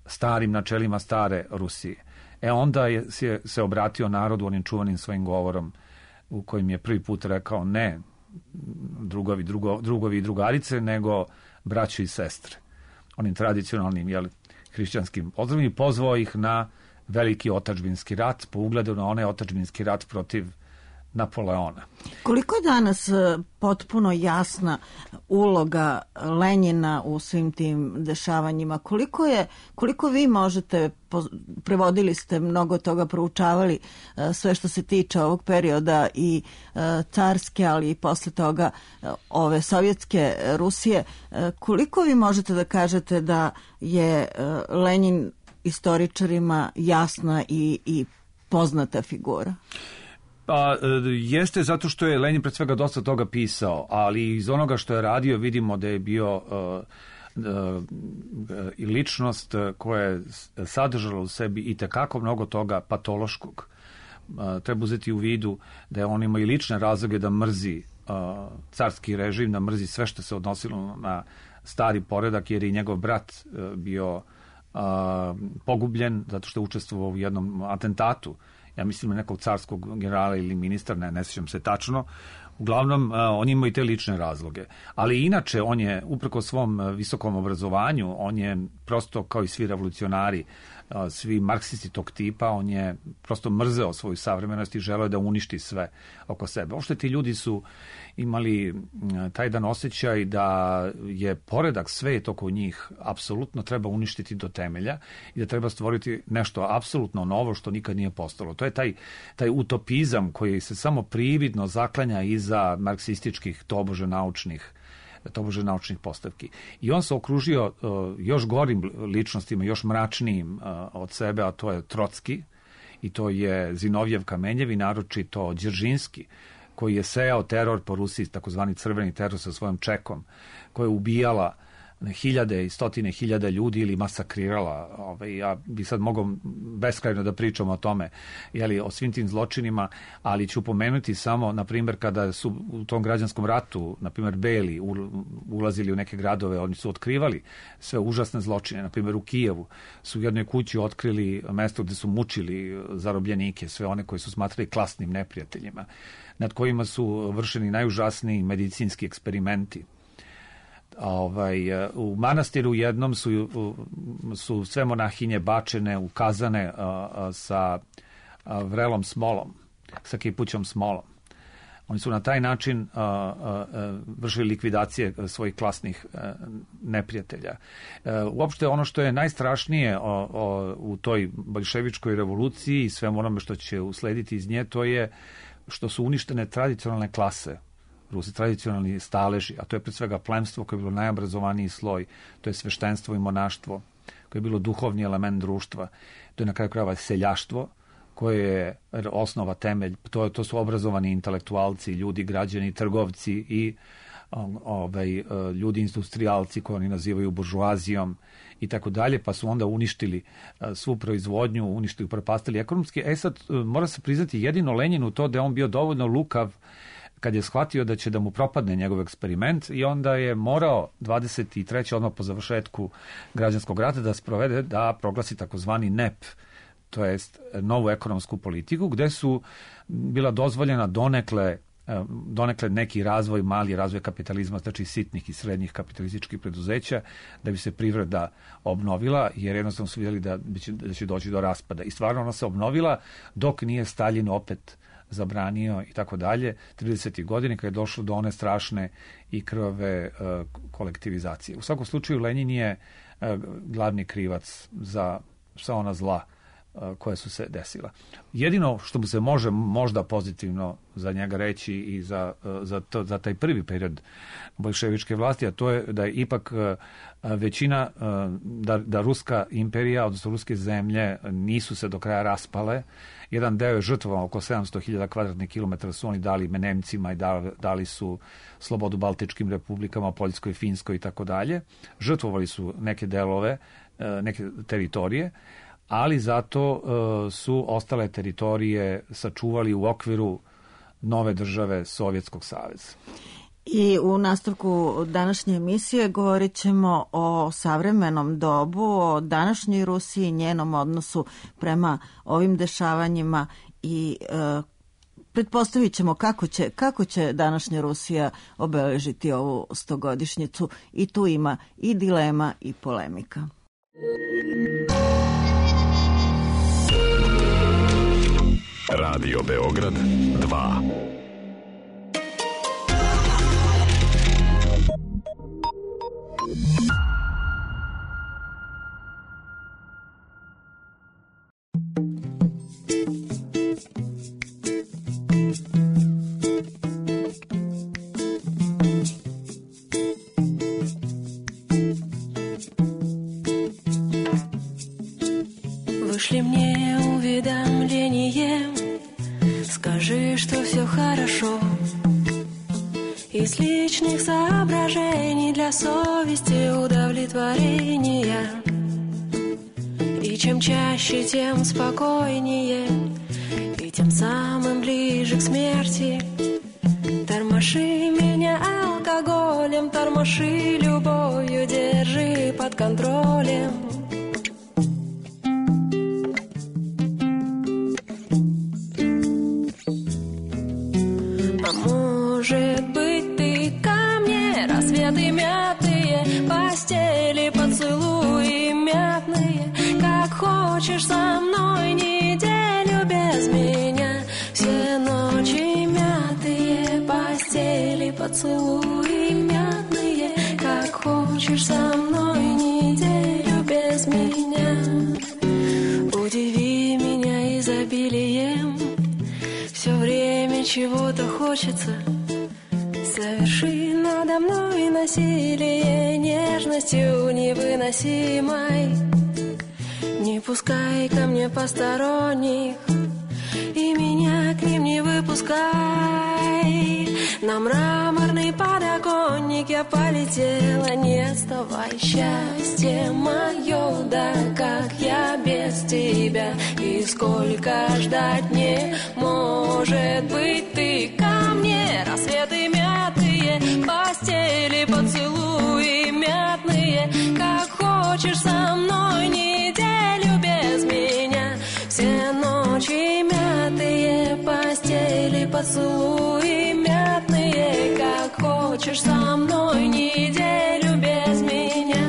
Speaker 2: starim načelima stare Rusije. E onda je se, se obratio narodu onim čuvanim svojim govorom u kojim je prvi put rekao ne drugovi, drugo, drugovi i drugarice, nego braćo i sestre. Onim tradicionalnim, jel, hrišćanskim pozdravima i pozvao ih na veliki otadžbinski rat, po ugledu na onaj otadžbinski rat protiv Napoleona.
Speaker 1: Koliko je danas potpuno jasna uloga Lenjina u svim tim dešavanjima? Koliko je, koliko vi možete, prevodili ste mnogo toga, proučavali sve što se tiče ovog perioda i carske, ali i posle toga ove sovjetske Rusije, koliko vi možete da kažete da je Lenjin istoričarima jasna i, i poznata figura?
Speaker 2: Pa, jeste zato što je Lenjin pred svega dosta toga pisao, ali iz onoga što je radio vidimo da je bio uh, uh, i ličnost koja je sadržala u sebi i tekako mnogo toga patološkog. Uh, treba uzeti u vidu da je on imao i lične razloge da mrzi uh, carski režim, da mrzi sve što se odnosilo na stari poredak, jer je i njegov brat uh, bio uh, pogubljen zato što je učestvovao u jednom atentatu, ja mislim na nekog carskog generala ili ministra, ne, ne sjećam se tačno. Uglavnom, on ima i te lične razloge. Ali inače, on je, uprko svom visokom obrazovanju, on je prosto kao i svi revolucionari, svi marksisti tog tipa, on je prosto mrzeo svoju savremenost i želeo da uništi sve oko sebe. Uopšte ti ljudi su imali taj jedan osjećaj da je poredak, svet oko njih apsolutno treba uništiti do temelja i da treba stvoriti nešto apsolutno novo što nikad nije postalo. To je taj, taj utopizam koji se samo prividno zaklanja iza marksističkih tobože naučnih tobože naučnih postavki. I on se okružio uh, još gorim ličnostima, još mračnijim uh, od sebe, a to je Trotski i to je Zinovjev Kamenjev i naročito Đeržinski, koji je sejao teror po Rusiji, takozvani crveni teror sa svojom čekom, koja je ubijala hiljade i stotine hiljada ljudi ili masakrirala. Ovaj, ja bi sad mogao beskrajno da pričam o tome, jeli, o svim tim zločinima, ali ću pomenuti samo, na primjer, kada su u tom građanskom ratu, na primjer, Beli ulazili u neke gradove, oni su otkrivali sve užasne zločine. Na primjer, u Kijevu su u jednoj kući otkrili mesto gde su mučili zarobljenike, sve one koji su smatrali klasnim neprijateljima, nad kojima su vršeni najužasniji medicinski eksperimenti. Ovaj, u manastiru jednom su, su sve monahinje bačene u kazane a, a, sa a, vrelom smolom, sa kipućom smolom. Oni su na taj način a, a, a, vršili likvidacije svojih klasnih a, neprijatelja. A, uopšte ono što je najstrašnije o, o, u toj boljševičkoj revoluciji i svemu onome što će uslediti iz nje, to je što su uništene tradicionalne klase, Rusi, tradicionalni staleži, a to je pred svega plemstvo koje je bilo najobrazovaniji sloj, to je sveštenstvo i monaštvo, koje je bilo duhovni element društva, to je na kraju krajeva seljaštvo, koje je osnova, temelj, to, to su obrazovani intelektualci, ljudi, građani, trgovci i ovaj, ljudi industrijalci koje oni nazivaju buržuazijom i tako dalje, pa su onda uništili svu proizvodnju, uništili, upropastili ekonomski. E sad, mora se priznati jedino Lenjinu to da je on bio dovoljno lukav kad je shvatio da će da mu propadne njegov eksperiment i onda je morao dvadeset treće odmah po završetku građanskog rata da sprovede, da proglasi takozvani N E P, to jest novu ekonomsku politiku, gde su bila dozvoljena donekle donekle neki razvoj, mali razvoj kapitalizma, znači sitnih i srednjih kapitalističkih preduzeća, da bi se privreda obnovila, jer jednostavno su vidjeli da će, da će doći do raspada. I stvarno ona se obnovila dok nije Staljin opet zabranio i tako dalje, tridesetih godina kada je došlo do one strašne i krvave uh, kolektivizacije. U svakom slučaju Lenjin je uh, glavni krivac za sva ona zla koje su se desila. Jedino što mu se može možda pozitivno za njega reći i za, za, to, za taj prvi period boljševičke vlasti, a to je da je ipak većina, da, da Ruska imperija, odnosno ruske zemlje nisu se do kraja raspale. Jedan deo je žrtvovao, oko sedamsto hiljada kvadratnih kilometara su oni dali Nemcima i dali, dali su slobodu Baltičkim republikama, Poljskoj, Finskoj i tako dalje. Žrtvovali su neke delove, neke teritorije, ali zato uh, su ostale teritorije sačuvali u okviru nove države Sovjetskog saveza.
Speaker 1: I u nastavku današnje emisije govorit ćemo o savremenom dobu, o današnjoj Rusiji, njenom odnosu prema ovim dešavanjima i uh, pretpostavit ćemo kako će, kako će današnja Rusija obeležiti ovu stogodišnjicu i tu ima i dilema i polemika.
Speaker 5: Radio Beograd dva.
Speaker 3: Вышли мне уведомлением, скажи, что все хорошо. Из личных соображений для совести удовлетворения. И чем чаще, тем спокойнее, и тем самым ближе к смерти. Тормоши меня алкоголем, тормоши любовью, держи под контролем. Может быть, ты ко мне, рассветы мятые, постели, поцелуи мятные. Как хочешь со мной неделю без меня. Все ночи мятые, постели, поцелуи мятные. Как хочешь со мной неделю без меня. Удиви меня изобилием, все время чего-то хочется. Соверши надо мной насилие нежностью невыносимой. Не пускай ко мне посторонних, и меня к ним не выпускай. На мраморный подоконник я полетела, не отставай. Счастье мое, да как я без тебя, и сколько ждать не может быть. Ты ко мне, рассветы мятые, постели, поцелуи мятные. Как хочешь со мной неделю без меня. Все ночи мятые, постели, поцелуи мятные. Как хочешь со мной неделю без меня.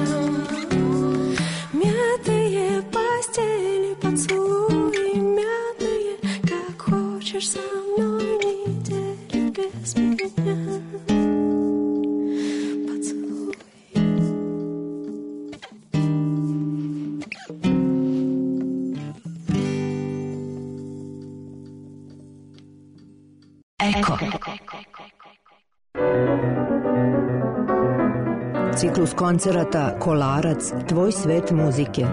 Speaker 3: Мятые постели, поцелуи мятные. Как хочешь со мной неделю без меня.
Speaker 6: Eko.
Speaker 7: Ciklus koncerata Kolarac, tvoj svet muzike.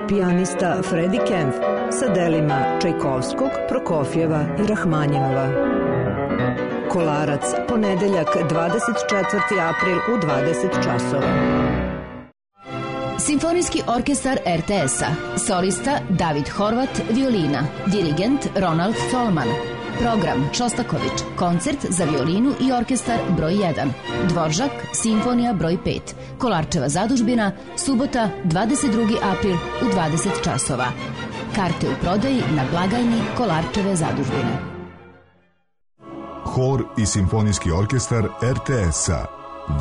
Speaker 7: Pijanista Freddie Kempf sa delima Čajkovskog, Prokofjeva i Rahmanjinova. Kolarac, ponedeljak dvadeset četvrti april u dvadeset časova.
Speaker 6: Simfonijski orkestar er te es-a. Solista David Horvat, violina. Dirigent Ronald Tolman. Program Šostaković, koncert za violinu i orkestar broj jedan. Dvoržak, simfonija broj pet. Kolarčeva zadužbina, subota dvadeset drugi april u dvadeset časova. Karte u prodaji na blagajni Kolarčeve zadužbine.
Speaker 8: Hor i simfonijski orkestar er te es-a.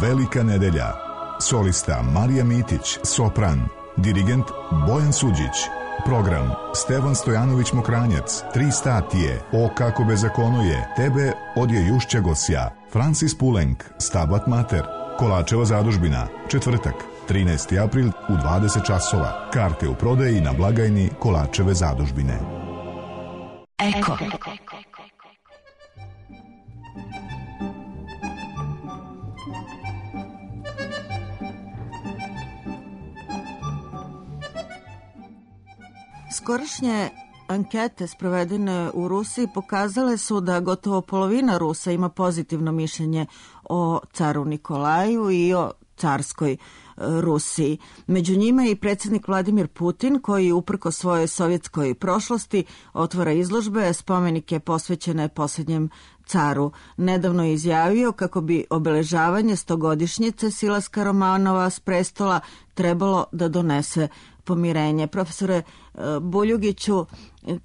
Speaker 8: Velika nedelja. Solista Marija Mitić, sopran. Dirigent Bojan Suđić. Program Stevan Stojanović Mokranjac, Tri statije, O kako bezakono je, Tebe odje Jušća Gosja, Francis Pulenk, Stabat Mater, Kolačeva zadužbina, četvrtak, trinaesti april u dvadeset časova. Karte u prodaji na blagajni Kolačeve zadužbine.
Speaker 6: Eko.
Speaker 1: Skorašnje ankete sprovedene u Rusiji pokazale su da gotovo polovina Rusa ima pozitivno mišljenje o caru Nikolaju i o carskoj Rusiji. Među njima je i predsjednik Vladimir Putin, koji uprko svojoj sovjetskoj prošlosti otvara izložbe, spomenike posvećene posljednjem caru. Nedavno je izjavio kako bi obeležavanje stogodišnjice silaska Romanova s prestola trebalo da donese pomirenje. Profesore Buljugiću,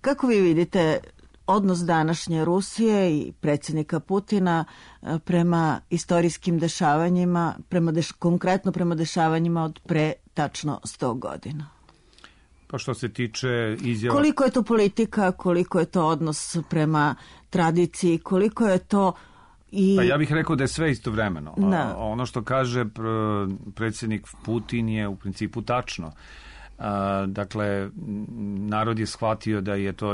Speaker 1: kako vi vidite odnos današnje Rusije i predsjednika Putina prema istorijskim dešavanjima, prema deš, konkretno prema dešavanjima od pre tačno sto godina?
Speaker 2: Pa što se tiče izjava...
Speaker 1: Koliko je to politika, koliko je to odnos prema tradiciji, koliko je to i...
Speaker 2: Pa ja bih rekao da je sve istovremeno.
Speaker 1: Da.
Speaker 2: Ono što kaže predsjednik Putin je u principu tačno. Dakle, narod je shvatio da je to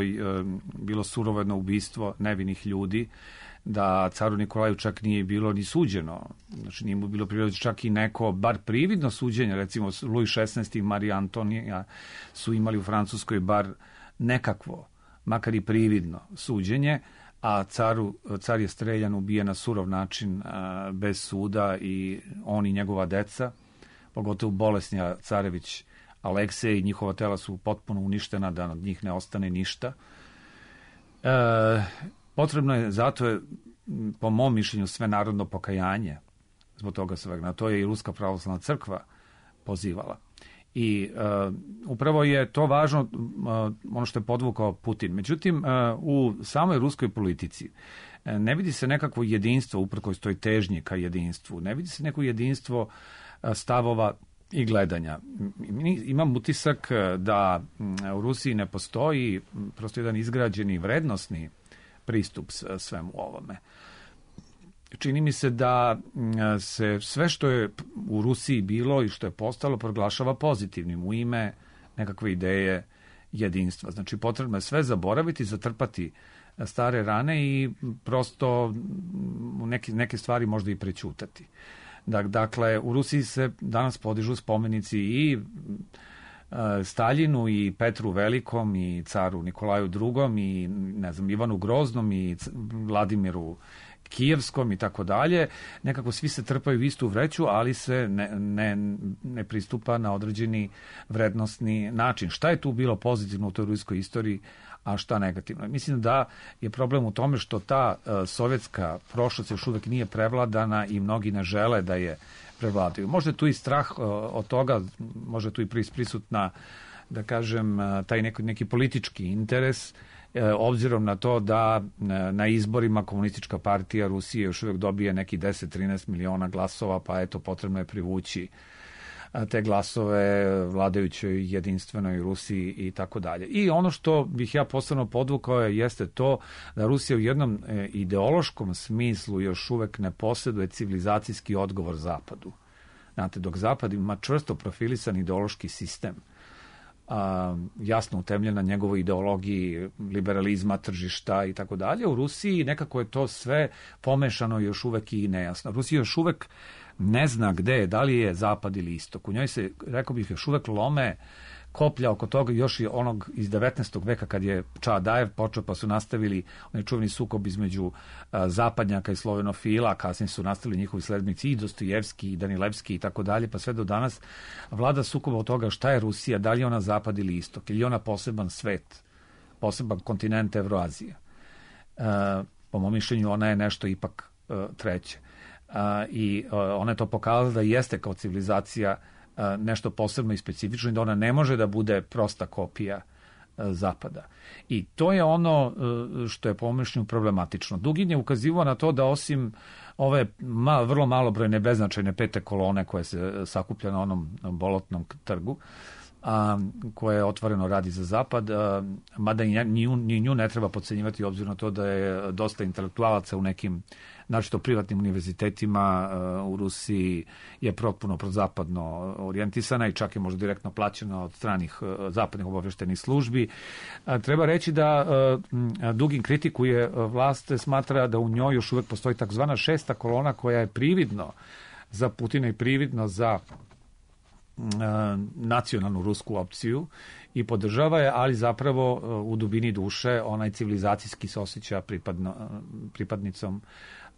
Speaker 2: bilo surovedno ubistvo nevinih ljudi, da caru Nikolaju čak nije bilo ni suđeno. Znači, nije mu bilo prirodno čak i neko, bar prividno suđenje, recimo Louis šesnaesti i Marija Antonija su imali u Francuskoj bar nekakvo, makar i prividno suđenje, a caru, car je streljan, ubijen na surov način, bez suda, i on i njegova deca, pogotovo bolesni Carević Aleksej, i njihova tela su potpuno uništena, da od njih ne ostane ništa. E, potrebno je, zato je, po mom mišljenju, sve narodno pokajanje zbog toga svega. Na to je i Ruska pravoslavna crkva pozivala. I e, upravo je to važno, e, ono što je podvukao Putin. Međutim, e, u samoj ruskoj politici e, ne vidi se nekakvo jedinstvo, uprkos toj težnji ka jedinstvu. Ne vidi se neko jedinstvo e, stavova i gledanja. Imam utisak da u Rusiji ne postoji prosto jedan izgrađeni vrednosni pristup svemu ovome. Čini mi se da se sve što je u Rusiji bilo i što je postalo proglašava pozitivnim u ime nekakve ideje jedinstva. Znači, potrebno je sve zaboraviti, zatrpati stare rane i prosto neke, neke stvari možda i prećutati. Dakle, u Rusiji se danas podižu spomenici i Staljinu i Petru Velikom i caru Nikolaju drugom i, ne znam, Ivanu Groznom i Vladimiru Kijevskom i tako dalje. Nekako svi se trpaju u istu vreću, ali se ne, ne, ne pristupa na određeni vrednosni način. Šta je tu bilo pozitivno u toj ruskoj istoriji, a šta negativno? Mislim da je problem u tome što ta uh, sovjetska prošlost još uvek nije prevladana i mnogi ne žele da je prevladaju. Možda je tu i strah uh, od toga, možda je tu i prisutna, da kažem, uh, taj neki, neki politički interes, uh, obzirom na to da uh, na izborima Komunistička partija Rusije još uvek dobije neki deset do trinaest miliona glasova, pa eto, potrebno je privući te glasove vladajućoj jedinstvenoj Rusiji i tako dalje. I ono što bih ja posebno podvukao je, jeste to da Rusija u jednom ideološkom smislu još uvek ne posjeduje civilizacijski odgovor Zapadu. Znate, dok Zapad ima čvrsto profilisan ideološki sistem, a, jasno utemljena njegovoj ideologiji liberalizma, tržišta i tako dalje. U Rusiji nekako je to sve pomešano još uvek i nejasno. Rusija još uvek ne zna gde je, da li je zapad ili istok. U njoj se, rekao bih, još uvek lome koplja oko toga još i onog iz devetnaestog veka kad je Čadajev počeo, pa su nastavili onaj čuveni sukob između a, zapadnjaka i slovenofila, a kasnije su nastavili njihovi sledbenici i Dostojevski i Danilevski i tako dalje, pa sve do danas vlada sukoba od toga šta je Rusija, da li je ona zapad ili istok, ili je ona poseban svet, poseban kontinent Evroazije. A, po mom mišljenju ona je nešto ipak a, treće. A, i a, ona je to pokazala da jeste kao civilizacija nešto posebno i specifično i da ona ne može da bude prosta kopija zapada. I to je ono što je po mišljenju problematično. Dugin je ukazivao na to da osim ove ma, vrlo malobrojne beznačajne pete kolone koje se sakuplja na onom bolotnom trgu, a, koje otvoreno radi za zapad, a, mada i nju, ni nju ne treba podcenjivati obzirom na to da je dosta intelektualaca u nekim naročito privatnim univerzitetima uh, u Rusiji je potpuno prozapadno orijentisana i čak je možda direktno plaćena od stranih uh, zapadnih obaveštenih službi. Uh, treba reći da uh, Dugin kritikuje uh, vlast, smatra da u njoj još uvek postoji takzvana šesta kolona koja je prividno za Putina i prividno za nacionalnu rusku opciju i podržava je, ali zapravo u dubini duše onaj civilizacijski se osjeća pripadno, pripadnicom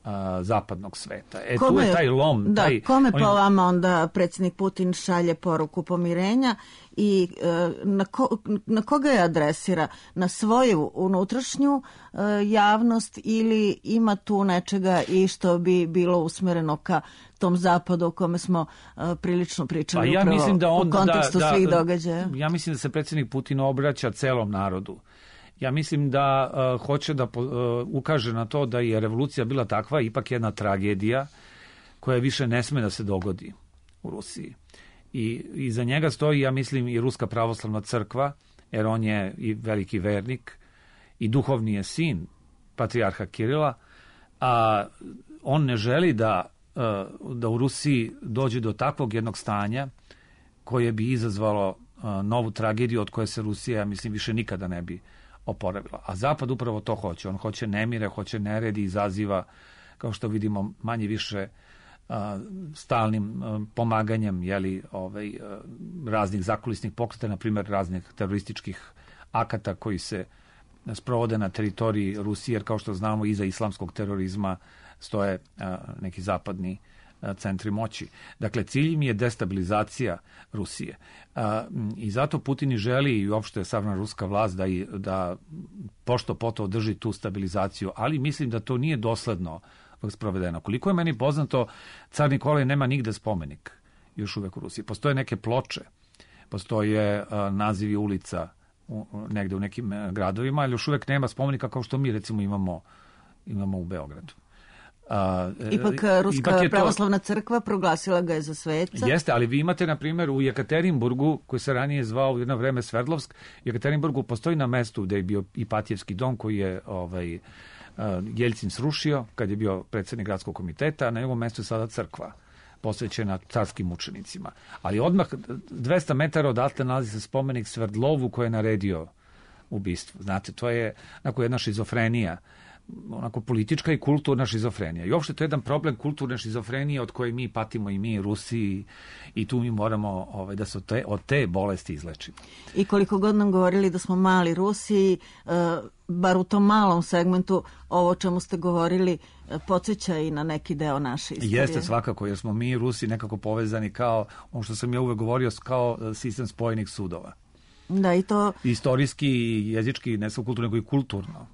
Speaker 2: a, zapadnog sveta. E, kome, tu je taj lom.
Speaker 1: Da,
Speaker 2: taj,
Speaker 1: kome
Speaker 2: on...
Speaker 1: po vama onda predsjednik Putin šalje poruku pomirenja i e, na, ko, na koga je adresira? Na svoju unutrašnju e, javnost ili ima tu nečega i što bi bilo usmereno ka tom zapadu o kome smo uh, prilično pričali
Speaker 2: ja
Speaker 1: upravo
Speaker 2: mislim da on,
Speaker 1: u kontekstu
Speaker 2: da,
Speaker 1: svih
Speaker 2: da,
Speaker 1: događaja?
Speaker 2: Ja mislim da se predsjednik Putin obraća celom narodu. Ja mislim da uh, hoće da uh, ukaže na to da je revolucija bila takva, ipak jedna tragedija koja više ne sme da se dogodi u Rusiji. I, i za njega stoji, ja mislim, i Ruska pravoslavna crkva, jer on je i veliki vernik i duhovni je sin patrijarha Kirila, a on ne želi da da u Rusiji dođe do takvog jednog stanja koje bi izazvalo novu tragediju od koje se Rusija, ja mislim, više nikada ne bi oporavila. A Zapad upravo to hoće. On hoće nemire, hoće neredi, izaziva, kao što vidimo, manje više stalnim pomaganjem jeli, ovaj, raznih zakulisnih pokreta, na primjer raznih terorističkih akata koji se sprovode na teritoriji Rusije, jer kao što znamo iza islamskog terorizma stoje a, neki zapadni a, centri moći. Dakle, cilj im je destabilizacija Rusije. A, I zato Putin i želi i uopšte savremena ruska vlast da, i, da pošto poto održi tu stabilizaciju, ali mislim da to nije dosledno sprovedeno. Koliko je meni poznato, car Nikolaj nema nigde spomenik još uvek u Rusiji. Postoje neke ploče, postoje a, nazivi ulica u, negde u nekim gradovima, ali još uvek nema spomenika kao što mi recimo imamo, imamo u Beogradu.
Speaker 1: A, ipak Ruska ipak pravoslavna to... crkva proglasila ga je za sveca.
Speaker 2: Jeste, ali vi imate, na primjer, u Jekaterinburgu, koji se ranije zvao u jedno vreme Sverdlovsk, u Jekaterinburgu postoji na mestu gde je bio Ipatijevski dom, koji je ovaj, Jeljcin srušio kad je bio predsjednik gradskog komiteta, a na njegovom mestu je sada crkva posvećena carskim mučenicima. Ali odmah dvesta metara odatle nalazi se spomenik Sverdlovu koji je naredio ubistvo. Znate, to je onako jedna šizofrenija, onako politička i kulturna šizofrenija. I uopšte to je jedan problem kulturne šizofrenije od koje mi patimo i mi Rusiji i tu mi moramo ovaj, da se od te, od te bolesti izlečimo.
Speaker 1: I koliko god nam govorili da smo mali Rusiji, uh, bar u tom malom segmentu ovo čemu ste govorili podsjeća i na neki deo naše istorije.
Speaker 2: Jeste svakako, jer smo mi Rusi nekako povezani kao, ono što sam ja uvek govorio, kao sistem spojenih sudova.
Speaker 1: Da, i to...
Speaker 2: Istorijski i jezički, ne samo kulturno, nego i kulturno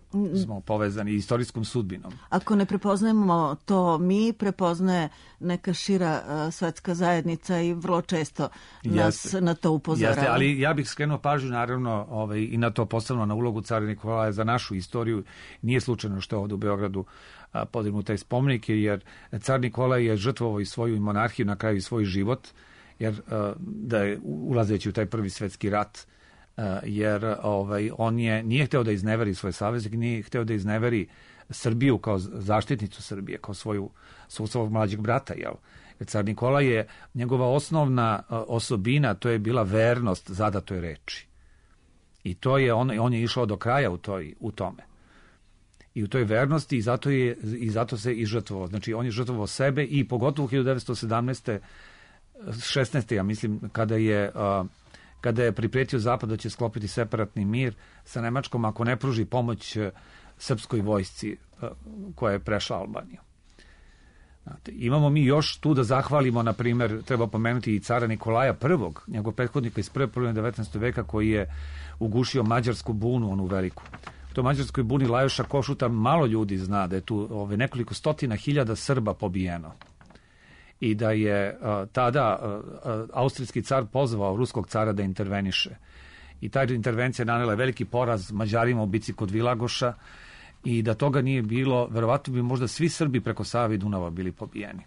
Speaker 2: smo povezani istorijskom sudbinom.
Speaker 1: Ako ne prepoznajemo to mi, prepoznaje neka šira uh, svetska zajednica i vrlo često nas Jeste. na to upozorava. Jeste,
Speaker 2: ali ja bih skrenuo pažnju naravno ovaj, i na to posebno na ulogu cara Nikolaja za našu istoriju. Nije slučajno što je ovdje u Beogradu a, podignut taj spomenik, jer car Nikolaj je žrtvovao i svoju monarhiju, na kraju i svoj život, jer a, da je ulazeći u taj prvi svetski rat, Uh, jer ovaj, on je, nije hteo da izneveri svoje saveznike, nije hteo da izneveri Srbiju kao zaštitnicu Srbije, kao svoju, svog mlađeg brata, jel? Car Nikola je, njegova osnovna osobina, to je bila vernost zadatoj reči. I to je on, on je išao do kraja u, toj, u tome. I u toj vernosti i zato, je, i zato se i žrtvovao. Znači, on je žrtvovao sebe i pogotovo u hiljadu devetsto sedamnaeste. šesnaeste. ja mislim, kada je, uh, kada je pripretio Zapad da će sklopiti separatni mir sa Nemačkom ako ne pruži pomoć uh, srpskoj vojsci uh, koja je prešla Albaniju. Znate, imamo mi još tu da zahvalimo, na primjer, treba pomenuti i cara Nikolaja prvog, njegov prethodnika iz prve polovine devetnaestog veka koji je ugušio mađarsku bunu, onu veliku. U toj mađarskoj buni Lajoša Košuta malo ljudi zna da je tu ove, nekoliko stotina hiljada Srba pobijeno. I da je uh, tada uh, austrijski car pozvao ruskog cara da interveniše. I ta intervencija nanela veliki poraz Mađarima u bici kod Vilagoša i da toga nije bilo, verovatno bi možda svi Srbi preko Save i Dunava bili pobijeni.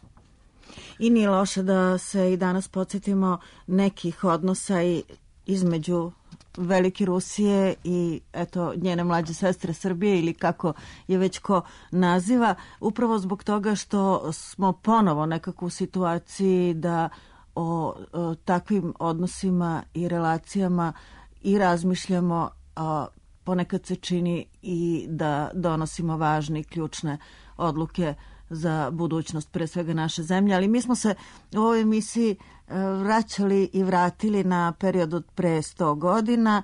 Speaker 1: I nije loše da se i danas podsjetimo nekih odnosa i između Velike Rusije i eto njene mlađe sestre Srbije ili kako je već ko naziva, upravo zbog toga što smo ponovo nekako u situaciji da o, o takvim odnosima i relacijama i razmišljamo, a ponekad se čini i da donosimo važne i ključne odluke za budućnost pre svega naše zemlje, ali mi smo se u ovoj emisiji vraćali i vratili na period od pre sto godina.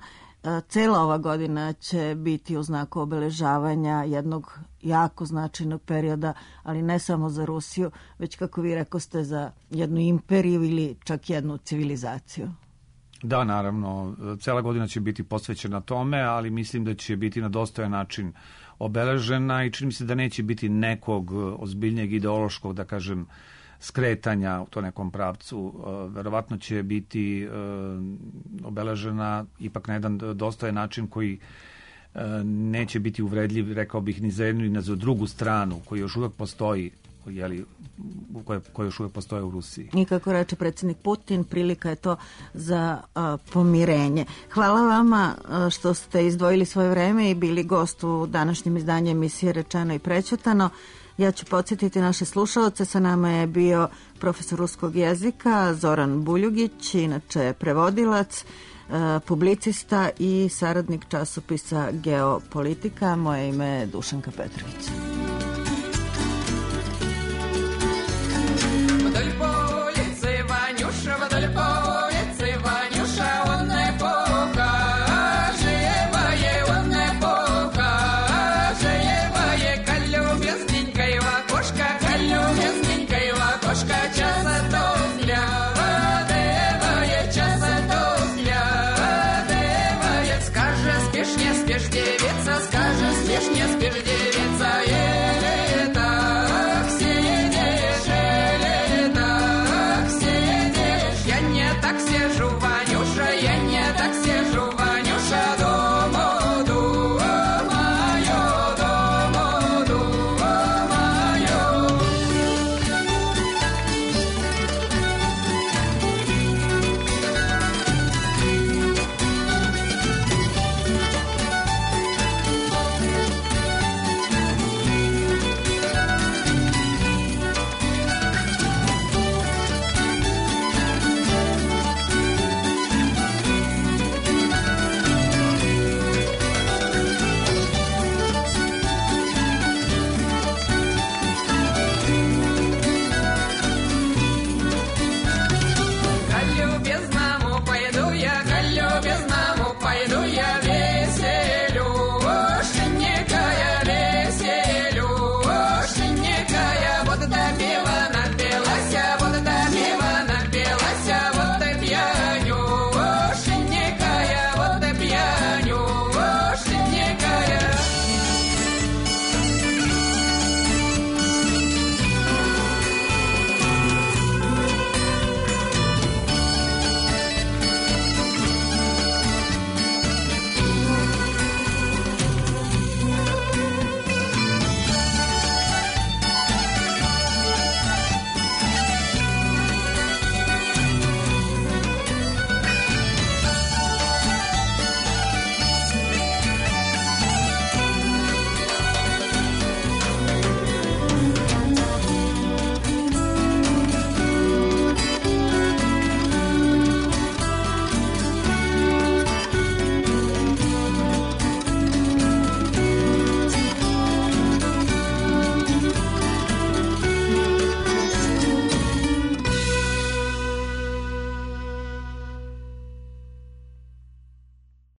Speaker 1: Cela ova godina će biti u znaku obeležavanja jednog jako značajnog perioda, ali ne samo za Rusiju, već kako vi rekoste za jednu imperiju ili čak jednu civilizaciju.
Speaker 2: Da, naravno, cela godina će biti posvećena tome, ali mislim da će biti na dostojan način obeležena i čini mi se da neće biti nekog ozbiljnijeg ideološkog, da kažem, skretanja u to nekom pravcu. Verovatno će biti obeležena ipak na jedan dostojan način koji neće biti uvredljiv, rekao bih, ni za jednu ni za drugu stranu, koji još uvek postoji, jeli, koje, koje još uvek postoje u Rusiji.
Speaker 1: I kako reče predsjednik Putin, prilika je to za a, pomirenje. Hvala vama a, što ste izdvojili svoje vreme i bili gost u današnjem izdanju emisije Rečeno i prećutano. Ja ću podsjetiti naše slušalce, sa nama je bio profesor ruskog jezika Zoran Buljugić, inače prevodilac, publicista i saradnik časopisa Geopolitika. Moje ime je Dušanka Petrović.